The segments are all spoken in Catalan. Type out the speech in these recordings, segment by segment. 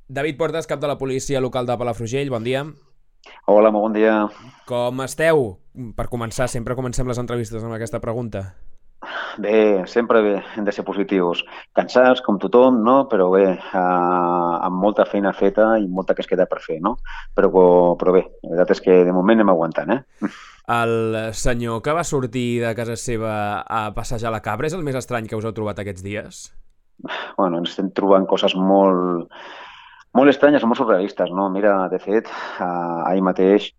David Portes, cap de la policia local de Palafrugell, bon dia. Hola, molt bon dia. Com esteu? Per començar, sempre comencem les entrevistes amb aquesta pregunta. Bé, sempre bé, hem de ser positius. Cansats, com tothom, no? Però bé, amb molta feina feta i molta que es queda per fer, no? Però bé, la veritat és que de moment anem aguantant, eh? El senyor que va sortir de casa seva a passejar la cabra és el més estrany que us heu trobat aquests dies? Bueno, ens estem trobant coses molt estranyes, molt surrealistes, no? Mira, de fet, ahir mateix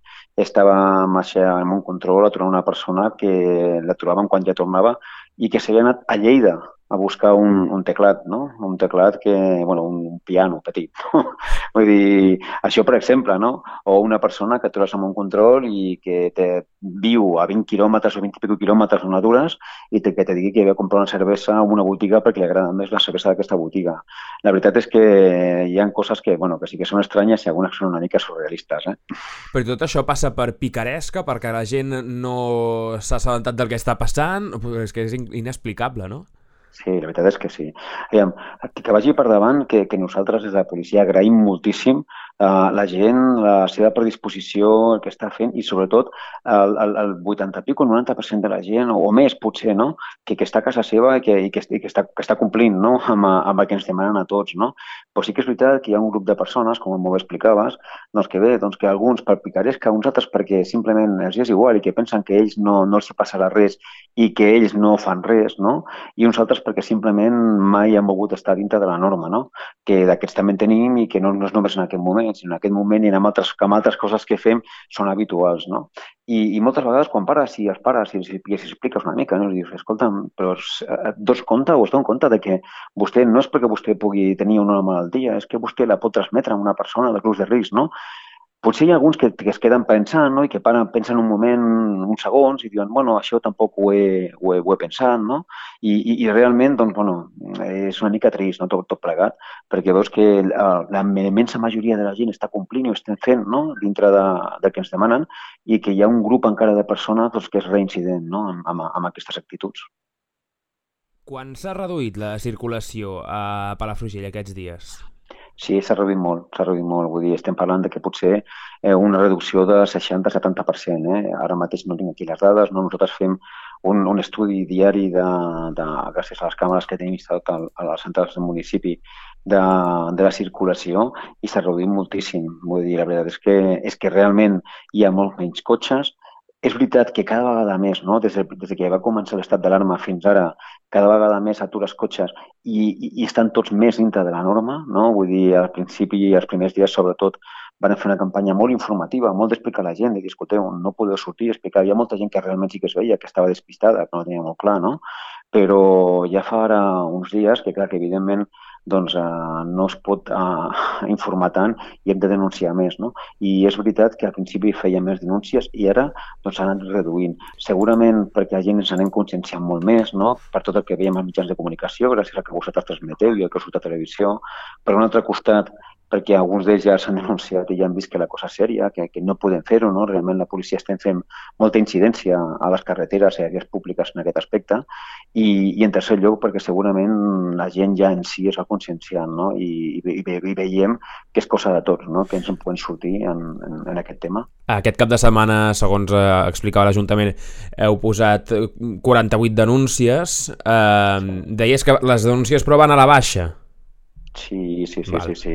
estàvem en un control aturant una persona que la trobàvem quan ja tornava i que s'havia anat a Lleida a buscar un teclat, no? Un teclat que, bueno, un piano petit, no? Vull dir, això per exemple, no? O una persona que atures en un control i que viu a 20 quilòmetres o 20 i escaig quilòmetres on atures i que te digui que ve a comprar una cervesa a una botiga perquè li agrada més la cervesa d'aquesta botiga. La veritat és que hi ha coses que, bueno, que sí que són estranyes i algunes són una mica surrealistes, eh? Però tot això passa per picaresca, perquè la gent no s'ha assabentat del que està passant? És que és inexplicable, no? Sí, la veritat és que sí. Aviam, que vagi per davant que nosaltres des de la policia agraïm moltíssim la gent, la seva predisposició, el que està fent i sobretot el 80 pico, el 90% de la gent, o més potser, no? Que està a casa seva que està complint, no? Amb el que ens demanen a tots, no? Però sí que és veritat que hi ha un grup de persones, com molt bé explicaves, doncs que bé, doncs que alguns per picaresca, uns altres perquè simplement els és igual i que pensen que ells no els hi passarà res i que ells no fan res, no? I uns altres perquè simplement mai han volgut estar dintre de la norma, no? Que d'aquests també en tenim i que no és només en aquest moment, sinó en aquest moment i amb altres coses que fem són habituals, no? I moltes vegades quan pares i els pares i els expliques una mica, no? I dius, escolta'm, però et dones compte o es donen compte de que vostè no és perquè vostè pugui tenir una malaltia, és que vostè la pot transmetre a una persona de grups de risc, no? Potser hi ha alguns que es queden pensant, no? I que pensen un moment, uns segons, i diuen, bueno, això tampoc ho he pensat, no? I realment, doncs, bueno, és una mica trist, no? Tot plegat, perquè veus que la immensa majoria de la gent està complint i ho estem fent, no? Dintre de que ens demanen, i que hi ha un grup encara de persones doncs, que és reincident, no? Amb aquestes actituds. Quan s'ha reduït la circulació a Palafrugell aquests dies? Sí, s'ha reduït molt. Vull dir, estem parlant de que potser una reducció de 60-70%. Ara mateix no tinc aquí les dades, no? Nosaltres fem un estudi diari gràcies a les càmeres que tenim instal·lat a les centrals del municipi de la circulació i s'ha reduït moltíssim. Vull dir, la veritat és que realment hi ha molts menys cotxes. És veritat que cada vegada més, no? Des que va començar l'estat d'alarma fins ara, cada vegada més atures cotxes i estan tots més dintre de la norma, no? Vull dir, al principi i els primers dies, sobretot, van fer una campanya molt informativa, molt d'explicar a la gent, de dir, escolteu, no podeu sortir, explicar. Hi ha molta gent que realment sí que es veia, que estava despistada, que no tenia molt clar, no? Però ja fa ara uns dies que, clar, que evidentment doncs, no es pot informar tant i hem de denunciar més, no? I és veritat que al principi feia més denúncies i ara doncs s'han anat reduint. Segurament perquè la gent ens anem conscienciant molt més, no? Per tot el que veiem als mitjans de comunicació, gràcies al que vosaltres transmeteu i el que surt a televisió. Per un altre costat, perquè alguns d'ells ja s'han denunciat i ja han vist que la cosa és sèria, que no podem fer-ho, no? Realment la policia estem fent molta incidència a les carreteres i a vies públiques en aquest aspecte i en tercer lloc perquè segurament la gent ja en si es va conscienciant, no? I veiem que és cosa de tots, no? Que ens en podem sortir en aquest tema. Aquest cap de setmana, segons explicava l'Ajuntament, heu posat 48 denúncies. Deies que les denúncies però van a la baixa. Sí, sí, sí, Val. sí, sí.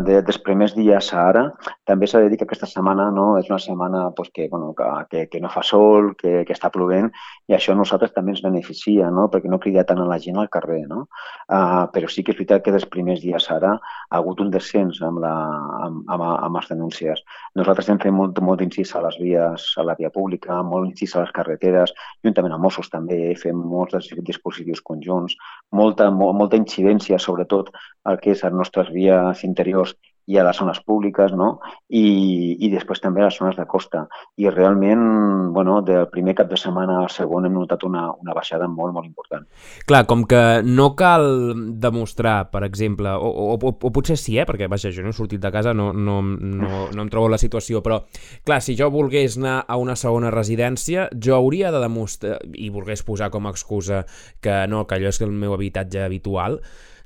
Dels primers dies a ara, també s'ha de dir que aquesta setmana no, és una setmana pues, bueno, que no fa sol, que està plovent, i això a nosaltres també ens beneficia, no? Perquè no crida tant a la gent al carrer, no? Però sí que és veritat que dels primers dies a ara ha hagut un descens amb les denúncies. Nosaltres hem fet molt incís a les vies, a la via pública, molt incís a les carreteres, juntament amb Mossos també fem molts dispositius conjunts, molta incidència, sobretot el que és a les nostres vies interiors i a les zones públiques, no? I després també a les zones de costa. I realment, bueno, del primer cap de setmana al segon hem notat una baixada molt, molt important. Clar, com que no cal demostrar, per exemple, o potser sí, perquè vaja, jo no he sortit de casa, no em trobo en la situació, però clar, si jo volgués anar a una segona residència, jo hauria de demostrar, i volgués posar com a excusa que no, que allò és el meu habitatge habitual,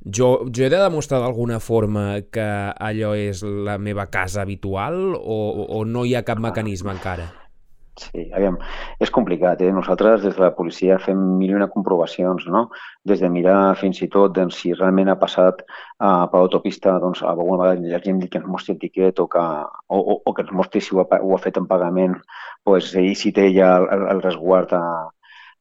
jo he de demostrar d'alguna forma que allò és la meva casa habitual o no hi ha cap mecanisme encara? Sí, aviam, és complicat, eh? Nosaltres des de la policia fem mil i una comprovacions, no? Des de mirar fins i tot doncs, si realment ha passat per l'autopista, doncs alguna vegada la gent que ens mostri el tiquet o que ens mostri si ho ha fet en pagament, doncs, i si té ja el resguard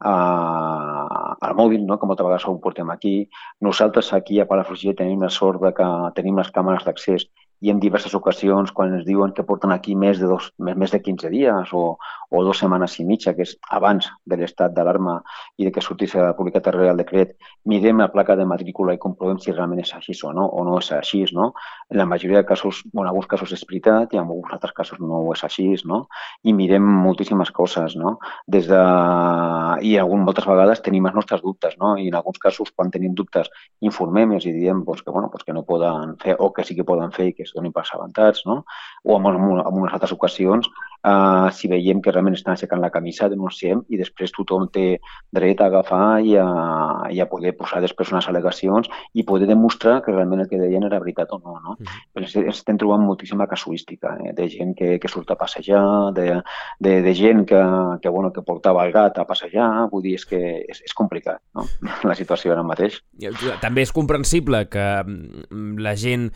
al mòbil, no? Que moltes vegades ho portem aquí. Nosaltres aquí a Palafrugell tenim la sort de que tenim les càmeres d'accés i en diverses ocasions, quan ens diuen que porten aquí més de 15 dies o 2 setmanes i mitja, que és abans de l'estat d'alarma i de que sortís publicat el Real Decret, mirem la placa de matrícula i comprovem si realment és així o no és així, no? En la majoria de casos, en alguns casos és veritat i en alguns altres casos no és així, no? I mirem moltíssimes coses, no? I moltes vegades tenim els nostres dubtes, no? I en alguns casos, quan tenim dubtes, informem i els diem que no poden fer o que sí que poden fer i que es donin per assabentats, no? O en unes altres ocasions, si veiem que realment estan aixecant la camisa, denunciem i després tothom té dret a agafar i a poder posar després unes al·legacions i poder demostrar que realment el que deien era veritat o no, no? Però estem trobant moltíssima casuística, de gent que surt a passejar, de gent que portava el gat a passejar, vull dir, és que és complicat, no? La situació ara mateix. També és comprensible que la gent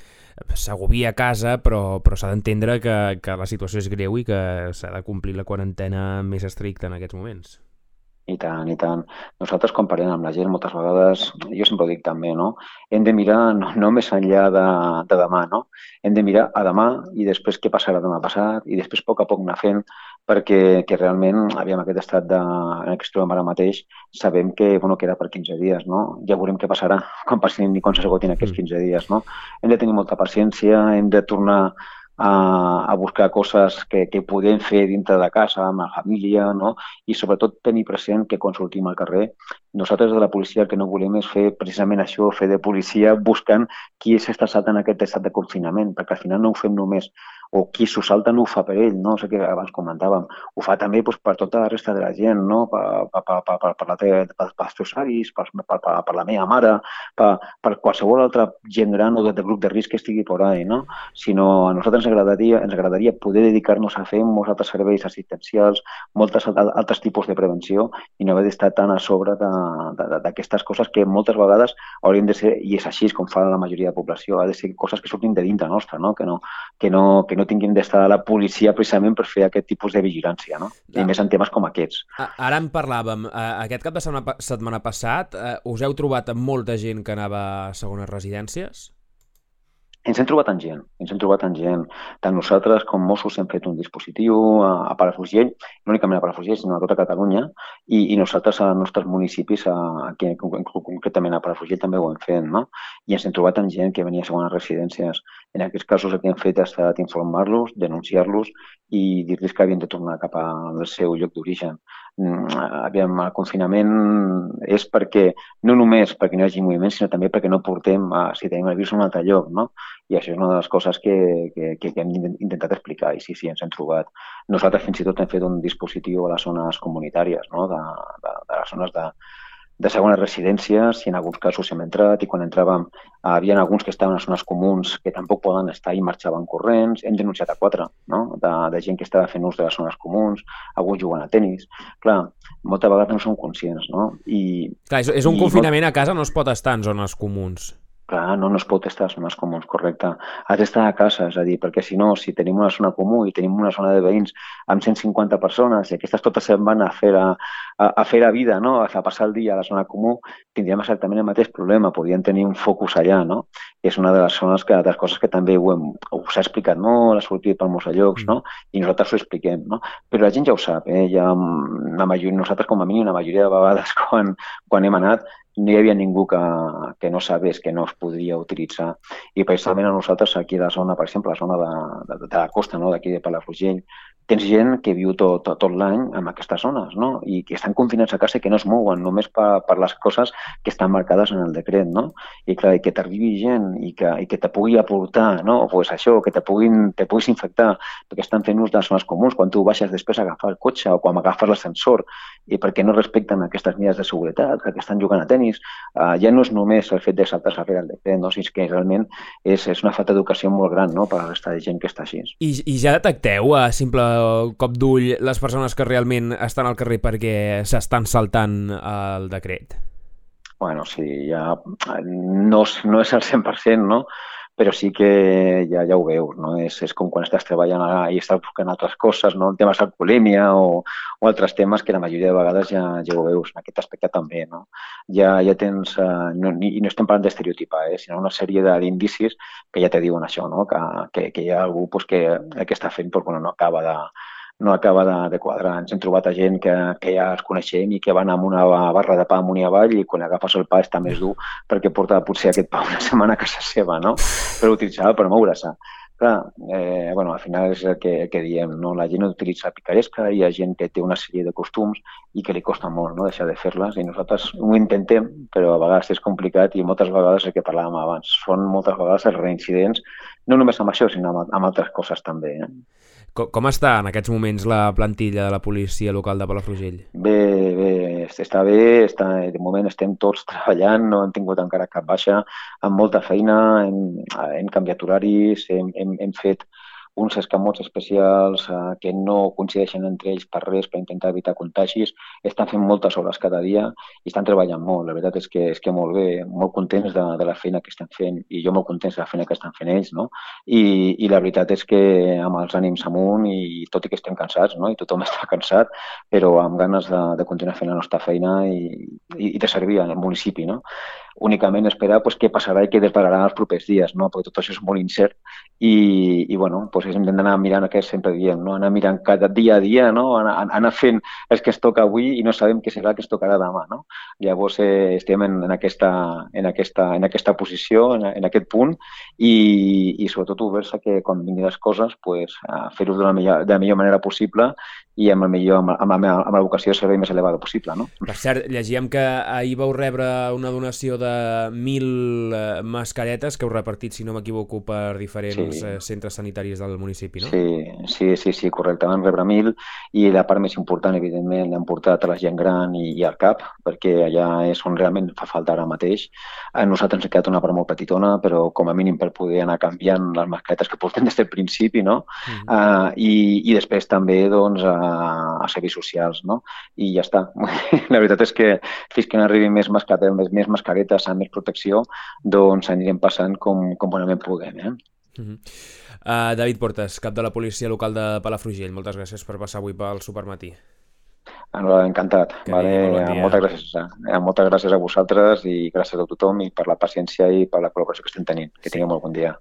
s'agobia a casa, però s'ha d'entendre que la situació és greu i que s'ha de complir la quarantena més estricta en aquests moments. I tant, i tant. Nosaltres, quan parlem amb la gent, moltes vegades, jo sempre ho dic també, no? Hem de mirar no més enllà de demà, no? Hem de mirar a demà i després què passarà demà passat i després a poc anar fent perquè realment, aviam, aquest estat en el que ens trobem ara mateix, sabem que era per 15 dies, no? Ja veurem què passarà quan passin i quan s'esgotin aquests 15 dies, no? Hem de tenir molta paciència, hem de tornar a buscar coses que podem fer dintre de casa, amb la família, no? I sobretot tenir present que quan sortim al carrer, nosaltres de la policia el que no volem és fer precisament això, fer de policia buscant qui s'està saltant aquest estat de confinament, perquè al final no ho fem només, o qui s'ho salta no ho fa per ell, no? O sigui que abans comentàvem, ho fa també per tota la resta de la gent, no? Pels teus avis, per la meva mare, per qualsevol altre gent gran o de grup de risc que estigui por ahí, no? Sinó a nosaltres ens agradaria poder dedicar-nos a fer molts altres serveis assistencials, molts altres tipus de prevenció i no haver d'estar tan a sobre d'aquestes coses que moltes vegades haurien de ser, i és així com fa la majoria de població, ha de ser coses que surtin de dintre nostra, no? Que no tinguin d'estar a la policia precisament per fer aquest tipus de vigilància, no? I més en temes com aquests. Ara en parlàvem. Aquest cap de setmana passat us heu trobat amb molta gent que anava a segones residències? Ens hem trobat amb gent. Tant nosaltres com Mossos hem fet un dispositiu a Palafrugell, no únicament a Palafrugell, sinó a tota Catalunya, i nosaltres als nostres municipis, aquí, concretament a Palafrugell, també ho hem fet, no? I ens hem trobat amb gent que venia a segones residències. En aquests casos el que hem fet ha estat informar-los, denunciar-los i dir-los que havien de tornar cap al seu lloc d'origen. Aviam, el confinament és no només perquè no hi hagi moviment, sinó també perquè no portem, si tenim el virus, a un altre lloc, no? I això és una de les coses que hem intentat explicar, i sí, ens hem trobat. Nosaltres fins i tot hem fet un dispositiu a les zones comunitàries, no? De les zones de segones residències, i en alguns casos hem entrat, i quan entràvem hi havia alguns que estaven a zones comuns que tampoc poden estar i marxaven corrents. Hem denunciat a 4, no? De gent que estava fent ús de les zones comuns, alguns jugant a tenis. Clar, moltes vegades no som conscients, no? Clar, és un confinament a casa, no es pot estar en zones comuns. Clar, no es pot estar a zones comuns, correcte. Has d'estar a casa, és a dir, perquè si no, si tenim una zona comú i tenim una zona de veïns amb 150 persones i aquestes totes se'n van a fer la vida, no? A passar el dia a la zona comú, tindríem exactament el mateix problema, podríem tenir un focus allà, no? És una de les zones de les coses que també s'ha explicat molt, ha sortit per molts llocs, no? I nosaltres ho expliquem, no? Però la gent ja ho sap, nosaltres com a mínim la majoria de vegades quan hem anat no hi havia ningú que no sabés que no es podria utilitzar. I precisament a nosaltres aquí a la zona, per exemple, la zona de la costa, no? D'aquí de Palafrugell, tens gent que viu tot l'any en aquestes zones, no? I que estan confinats a casa i que no es mouen només per les coses que estan marcades en el decret, no? I clar, que t'arribi gent i que te pugui aportar, no? Pues això, que te puguis infectar perquè estan fent ús de les zones comuns, quan tu baixes després a agafar el cotxe o quan agafes l'ascensor i perquè no respecten aquestes mesures de seguretat, que estan jugant a tenis permís. Ja no és només el fet de saltar darrere el decret, no? Sinó que realment és una falta d'educació molt gran, no?, per a la resta de gent que està així. I ja detecteu a simple cop d'ull les persones que realment estan al carrer perquè s'estan saltant el decret? Bueno, sí, ja no és al 100%, no? Però sí que ja ho veus, no? És com quan estàs treballant i estàs buscant altres coses, no? Temes d'alcoholèmia o altres temes que la majoria de vegades ja ho veus. En aquest aspecte també, no? Ja tens, i no estem parlant d'estereotipar, sinó una sèrie d'indicis que ja te diuen això, no? Que hi ha algú pues, que el que està fent pues, bueno, no acaba de quadrar. Ens hem trobat a gent que ja els coneixem i que van amb una barra de pa amunt i avall i quan agafes el pa està més dur perquè porta potser aquest pa una setmana a casa seva, no? Per utilitzar per moure-se. Clar, bueno, al final és el que diem, no? La gent utilitza picaresca, hi ha gent que té una sèrie de costums i que li costa molt, no?, deixar de fer-les i nosaltres ho intentem, però a vegades és complicat i moltes vegades el que parlàvem abans, són moltes vegades els reincidents, no només amb això, sinó amb altres coses també. Com està en aquests moments la plantilla de la policia local de Palafrugell? Bé, està bé, de moment estem tots treballant, no hem tingut encara cap baixa, amb molta feina, hem canviat horaris, hem fet uns escamots especials que no coincideixen entre ells per res per intentar evitar contagis. Estan fent moltes hores cada dia i estan treballant molt. La veritat és que molt bé, molt contents de la feina que estan fent i jo molt contents de la feina que estan fent ells, no? I la veritat és que amb els ànims amunt i tot i que estem cansats, no? I tothom està cansat, però amb ganes de continuar fent la nostra feina i de servir al municipi, no? Únicament esperar pues, què passarà i què depararà els propers dies, no? Perquè tot això és molt incert i bueno, pues, hem d'anar mirant el que sempre diem, no? Anar mirant cada dia a dia, no? Anar fent el que es toca avui i no sabem què serà el que es tocarà demà, no? Llavors estem en aquesta posició, en aquest punt i sobretot oberts a que quan vinguin les coses pues, fer-ho de la millor manera possible i amb la vocació de servei més elevada possible, no? Per cert, llegíem que ahir vau rebre una donació de 1.000 mascaretes que heu repartit, si no m'equivoco, per diferents centres sanitaris del municipi, no? Sí, correcte. Vam rebre 1.000 i la part més important, evidentment, l'hem portat a la gent gran i al CAP, perquè allà és on realment fa falta ara mateix. A nosaltres ens ha quedat una part molt petitona, però com a mínim per poder anar canviant les mascaretes que portem des del principi, no? I després també, doncs, a serveis socials, no? I ja està. La veritat és que fins que no arribin més mascaretes amb més protecció, doncs anirem passant com bonament puguem, David Portes, cap de la policia local de Palafrugell, moltes gràcies per passar avui pel Supermatí. Encantat. Moltes gràcies a vosaltres i gràcies a tothom i per la paciència i per la col·laboració que estem tenint. Que tingueu molt bon dia.